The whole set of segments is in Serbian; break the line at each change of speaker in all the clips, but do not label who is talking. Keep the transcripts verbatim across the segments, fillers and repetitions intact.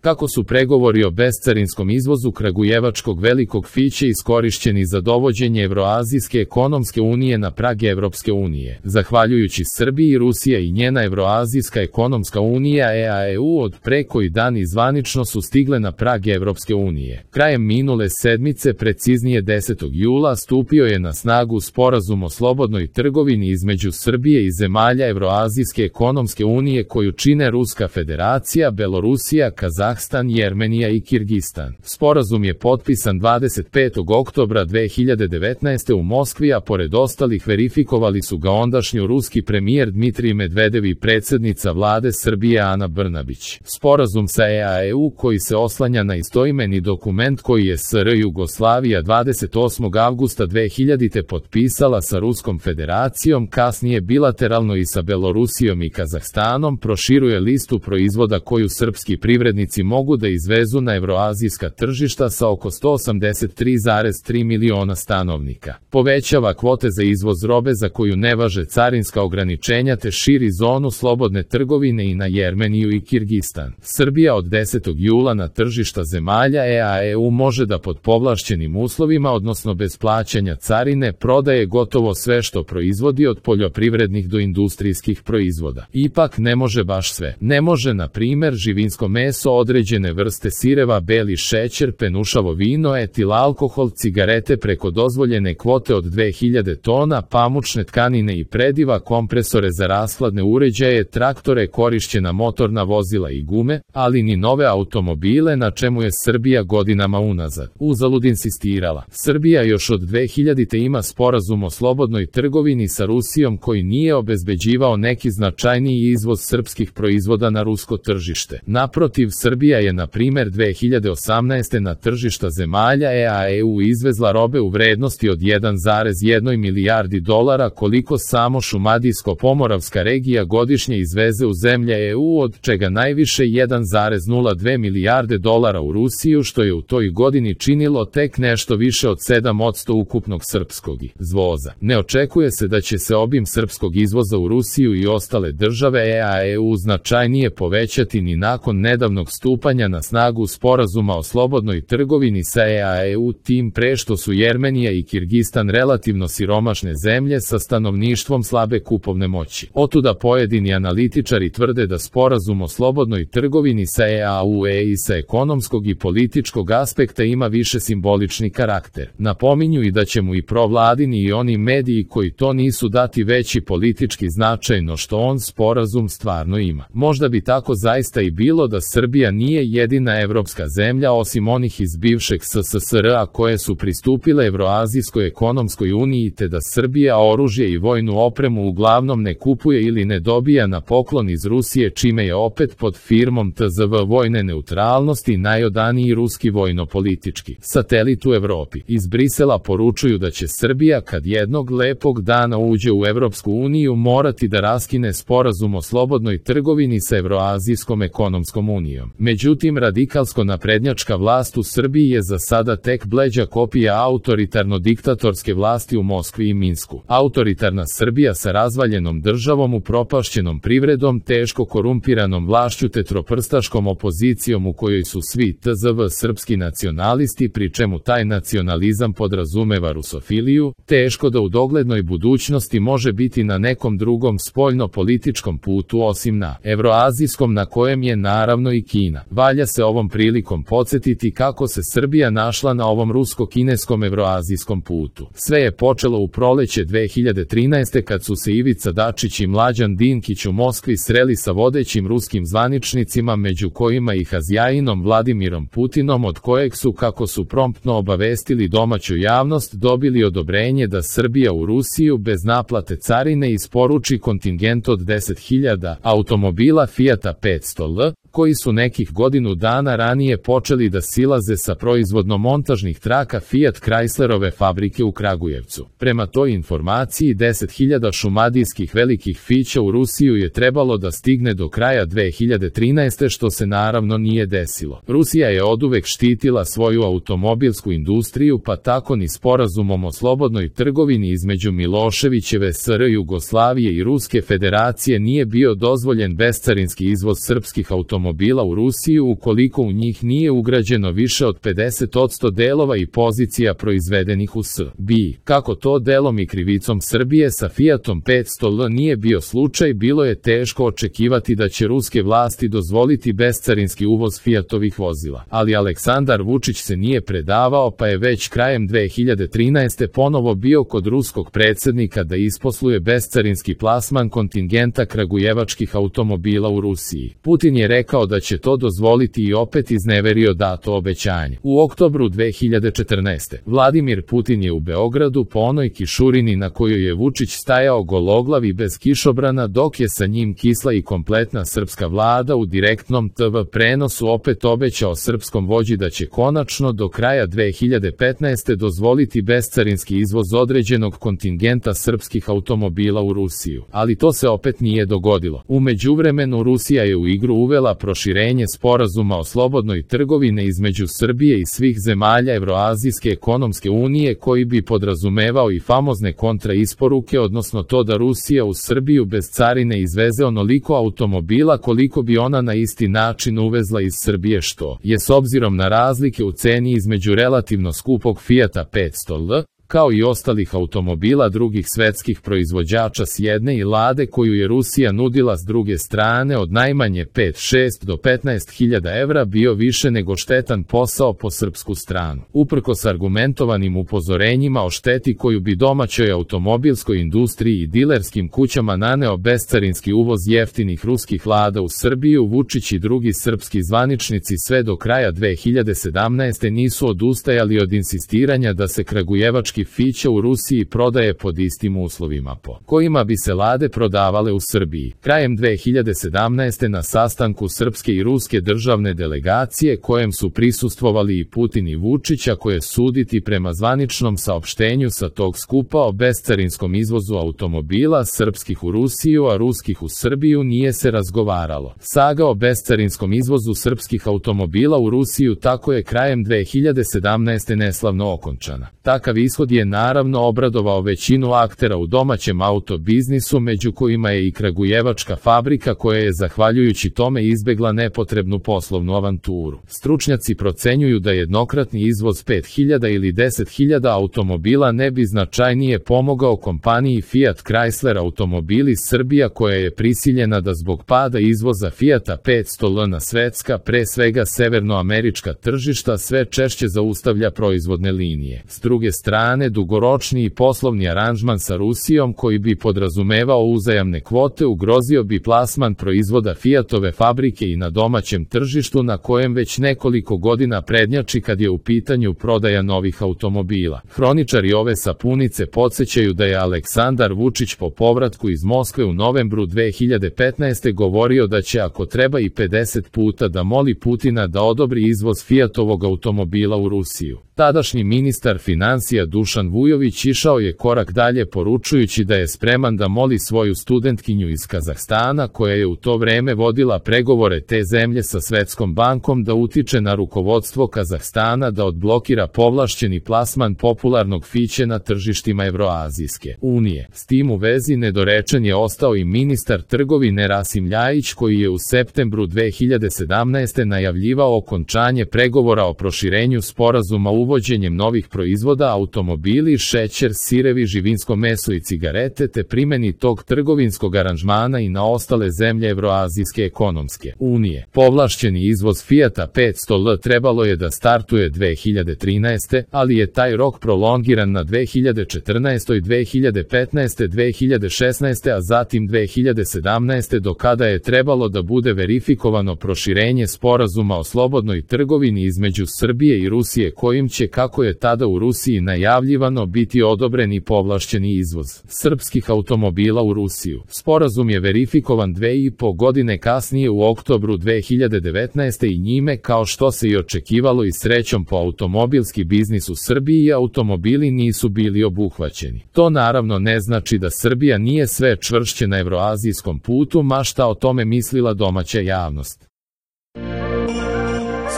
Kako su pregovori o bescarinskom izvozu kragujevačkog velikog fića iskorišćeni za dovođenje Evroazijske ekonomske unije na prag Evropske unije. Zahvaljujući Srbiji, Rusija i njena Evroazijska ekonomska unija E A E U od pre koji dan zvanično su stigle na prag Evropske unije. Krajem minule sedmice, preciznije desetog jula, stupio je na snagu Sporazum o slobodnoj trgovini između Srbije i zemalja Evroazijske ekonomske unije koju čine Ruska federacija, Belorusija, Kazahstan, Jermenija i Kirgistan. Sporazum je potpisan dvadeset petog oktobra dve hiljade devetnaeste. u Moskvi, a pored ostalih verifikovali su ga ondašnji ruski premijer Dmitrij Medvedev i predsjednica vlade Srbije Ana Brnabić. Sporazum sa E A E U koji se oslanja na istoimeni dokument koji je S R Jugoslavija dvadeset osmog avgusta dve hiljadite. potpisala sa Ruskom federacijom, kasnije bilateralno i sa Belorusijom i Kazahstanom, proširuje listu proizvoda koju srpski privrednici mogu da izvezu na evroazijska tržišta sa oko sto osamdeset tri zarez tri miliona stanovnika. Povećava kvote za izvoz robe za koju ne važe carinska ograničenja te širi zonu slobodne trgovine i na Jermeniju i Kirgistan. Srbija od desetog jula na tržišta zemalja E A E U može da pod povlašćenim uslovima, odnosno bez plaćanja carine, prodaje gotovo sve što proizvodi od poljoprivrednih do industrijskih proizvoda. Ipak ne može baš sve. Ne može, na primer, živinsko meso, određene vrste sireva, beli šećer, penušavo vino, etil alkohol, cigarete preko dozvoljene kvote od dve hiljade tona, pamučne tkanine i prediva, kompresore za rashladne uređaje, traktore, korišćena motorna vozila i gume, ali ni nove automobile, na čemu je Srbija godinama unazad uzalud insistirala. Srbija još od dve hiljadite. ima sporazum o slobodnoj trgovini sa Rusijom koji nije obezbeđivao neki značajniji izvoz srpskih proizvoda na rusko tržište. Naprotiv, Srbija je na primer dve hiljade osamnaeste. na tržišta zemalja E A E U izvezla robe u vrednosti od jedan zarez jedna milijardi dolara, koliko samo Šumadijsko-Pomoravska regija godišnje izveze u zemlje E U, od čega najviše jedan zarez nula dve milijarde dolara u Rusiju, što je u toj godini činilo tek nešto više od sedam posto ukupnog srpskog izvoza. Ne očekuje se da će se obim srpskog izvoza u Rusiju i ostale države E A E U značajnije povećati ni nakon nedavnog stupanja na snagu Sporazuma o slobodnoj trgovini sa E A E U, tim pre što su Jermenija i Kirgistan relativno siromašne zemlje sa stanovništvom slabe kupovne moći. Otuda pojedini analitičari tvrde da Sporazum o slobodnoj trgovini sa E A U E i sa ekonomskog i političkog aspekta ima više simbolični karakter. Napominju i da će mu i provladini i oni mediji koji to nisu dati veći politički značaj no što on sporazum stvarno ima. Možda bi tako zaista i bilo da Srbija nije jedina evropska zemlja osim onih iz bivšeg S S S R a koje su pristupile Evroazijskoj ekonomskoj uniji, te da Srbija oružje i vojnu opremu uglavnom ne kupuje ili ne dobija na poklon iz Rusije, čime je opet pod firmom T Z V vojne neutralnosti najodaniji ruski vojno-politički satelit u Evropi. Iz Brisela poručuju da će Srbija, kad jednog lepog dana uđe u Evropsku uniju, morati da raskine sporazum o slobodnoj trgovini sa Evroazijskom ekonomskom unijom. Međutim, radikalsko-naprednjačka vlast u Srbiji je za sada tek bleđa kopija autoritarno-diktatorske vlasti u Moskvi i Minsku. Autoritarna Srbija sa razvaljenom državom, upropašćenom privredom, teško korumpiranom vlašću te troprstaškom opozicijom u kojoj su svi T Z V srpski nacionalisti, pri čemu taj nacionalizam podrazumeva rusofiliju, teško da u doglednoj budućnosti može biti na nekom drugom spoljno-političkom putu osim na evroazijskom, na kojem je naravno i Kina. Valja se ovom prilikom podsjetiti kako se Srbija našla na ovom rusko-kineskom evroazijskom putu. Sve je počelo u proleće dve hiljade trinaeste. kad su se Ivica Dačić i Mlađan Dinkić u Moskvi sreli sa vodećim ruskim zvaničnicima, među kojima i Hazjajinom Vladimirom Putinom, od kojeg su, kako su promptno obavestili domaću javnost, dobili odobrenje da Srbija u Rusiju bez naplate carine isporuči kontingent od deset hiljada automobila Fijata petsto L, koji su nekih godinu dana ranije počeli da silaze sa proizvodno-montažnih traka Fiat Chryslerove fabrike u Kragujevcu. Prema toj informaciji, deset hiljada šumadijskih velikih fića u Rusiju je trebalo da stigne do kraja dve hiljade trinaeste. što se naravno nije desilo. Rusija je oduvek štitila svoju automobilsku industriju, pa tako ni sporazumom o slobodnoj trgovini između Miloševićeve S R Jugoslavije i Ruske federacije nije bio dozvoljen bescarinski izvoz srpskih automobila automobila u Rusiju ukoliko u njih nije ugrađeno više od pedeset posto delova i pozicija proizvedenih u Srbiji. Kako to delom i krivicom Srbije sa Fiatom petsto L nije bio slučaj, bilo je teško očekivati da će ruske vlasti dozvoliti bescarinski uvoz Fiatovih vozila. Ali Aleksandar Vučić se nije predavao, pa je već krajem dve hiljade trinaeste. ponovo bio kod ruskog predsjednika da isposluje bescarinski plasman kontingenta kragujevačkih automobila u Rusiji. Putin je rekao da će to dozvoliti i opet izneverio dato obećanje. U oktobru dve hiljade četrnaeste. Vladimir Putin je u Beogradu po onoj kišurini na kojoj je Vučić stajao gologlav i bez kišobrana, dok je sa njim kisla i kompletna srpska vlada, u direktnom te ve prenosu opet obećao srpskom vođi da će konačno do kraja dve hiljade petnaeste. dozvoliti bescarinski izvoz određenog kontingenta srpskih automobila u Rusiju. Ali to se opet nije dogodilo. U međuvremenu Rusija je u igru uvela proširenje sporazuma o slobodnoj trgovini između Srbije i svih zemalja Evroazijske ekonomske unije, koji bi podrazumevao i famozne kontraisporuke, odnosno to da Rusija u Srbiju bez carine izveze onoliko automobila koliko bi ona na isti način uvezla iz Srbije, što je s obzirom na razlike u ceni između relativno skupog Fiata petsto L, kao i ostalih automobila drugih svetskih proizvođača s jedne i Lade koju je Rusija nudila s druge strane, od najmanje pet, šest do petnaest hiljada evra, bio više nego štetan posao po srpsku stranu. Uprkos argumentovanim upozorenjima o šteti koju bi domaćoj automobilskoj industriji i dilerskim kućama naneo bescarinski uvoz jeftinih ruskih Lada u Srbiju, Vučić i drugi srpski zvaničnici sve do kraja dve hiljade sedamnaeste. nisu odustajali od insistiranja da se kragujevački Fića u Rusiji prodaje pod istim uslovima po kojima bi se Lade prodavale u Srbiji. Krajem dve hiljade sedamnaeste. na sastanku srpske i ruske državne delegacije, kojem su prisustvovali i Putin i Vučić, a koje suditi prema zvaničnom saopštenju sa tog skupa o bescarinskom izvozu automobila srpskih u Rusiju, a ruskih u Srbiju, nije se razgovaralo. Saga o bescarinskom izvozu srpskih automobila u Rusiju tako je krajem dve hiljade sedamnaeste. neslavno okončana. Takav ishod je naravno obradovao većinu aktera u domaćem autobiznisu, među kojima je i kragujevačka fabrika, koja je zahvaljujući tome izbegla nepotrebnu poslovnu avanturu. Stručnjaci procenjuju da jednokratni izvoz pet hiljada ili deset hiljada automobila ne bi značajnije pomogao kompaniji Fiat Chrysler Automobili Srbija, koja je prisiljena da zbog pada izvoza Fiata petsto L na svetska, pre svega severnoamerička tržišta, sve češće zaustavlja proizvodne linije. S druge strane, dugoročni poslovni aranžman sa Rusijom, koji bi podrazumevao uzajamne kvote, ugrozio bi plasman proizvoda Fiatove fabrike i na domaćem tržištu, na kojem već nekoliko godina prednjači kad je u pitanju prodaja novih automobila. Hroničari ove sapunice podsjećaju da je Aleksandar Vučić po povratku iz Moskve u novembru dve hiljade petnaeste. govorio da će, ako treba, i pedeset puta da moli Putina da odobri izvoz Fiatovog automobila u Rusiju. Tadašnji ministar finansija Dušan Vujović išao je korak dalje, poručujući da je spreman da moli svoju studentkinju iz Kazahstana, koja je u to vreme vodila pregovore te zemlje sa Svetskom bankom, da utiče na rukovodstvo Kazahstana da odblokira povlašćeni plasman popularnog Fiće na tržištima Evroazijske unije. S tim u vezi nedorečen je ostao i ministar trgovine Rasim Ljajić, koji je u septembru dve hiljade sedamnaeste. najavljivao okončanje pregovora o proširenju sporazuma uvođenjem novih proizvoda, automobili, šećer, sirevi, živinsko meso i cigarete, te primeni tog trgovinskog aranžmana i na ostale zemlje Evroazijske ekonomske unije. Povlašćeni izvoz Fiata petsto L trebalo je da startuje dve hiljade trinaeste. ali je taj rok prolongiran na dve hiljade četrnaeste. dve hiljade petnaeste. dve hiljade šesnaeste. a zatim dve hiljade sedamnaeste. do kada je trebalo da bude verifikovano proširenje sporazuma o slobodnoj trgovini između Srbije i Rusije, kojim će, kako je tada u Rusiji najavljivano, biti odobren i povlašćeni izvoz srpskih automobila u Rusiju. Sporazum je verifikovan dve i po godine kasnije, u oktobru dve hiljade devetnaeste. i njime, kao što se i očekivalo i srećom po automobilski biznis u Srbiji, automobili nisu bili obuhvaćeni. To naravno ne znači da Srbija nije sve čvršće na evroazijskom putu, ma šta o tome mislila domaća javnost.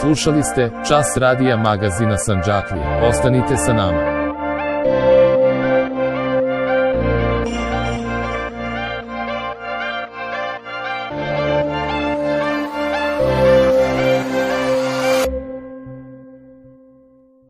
Slušali ste Čas radija magazina Sandžaklija. Ostanite sa nama.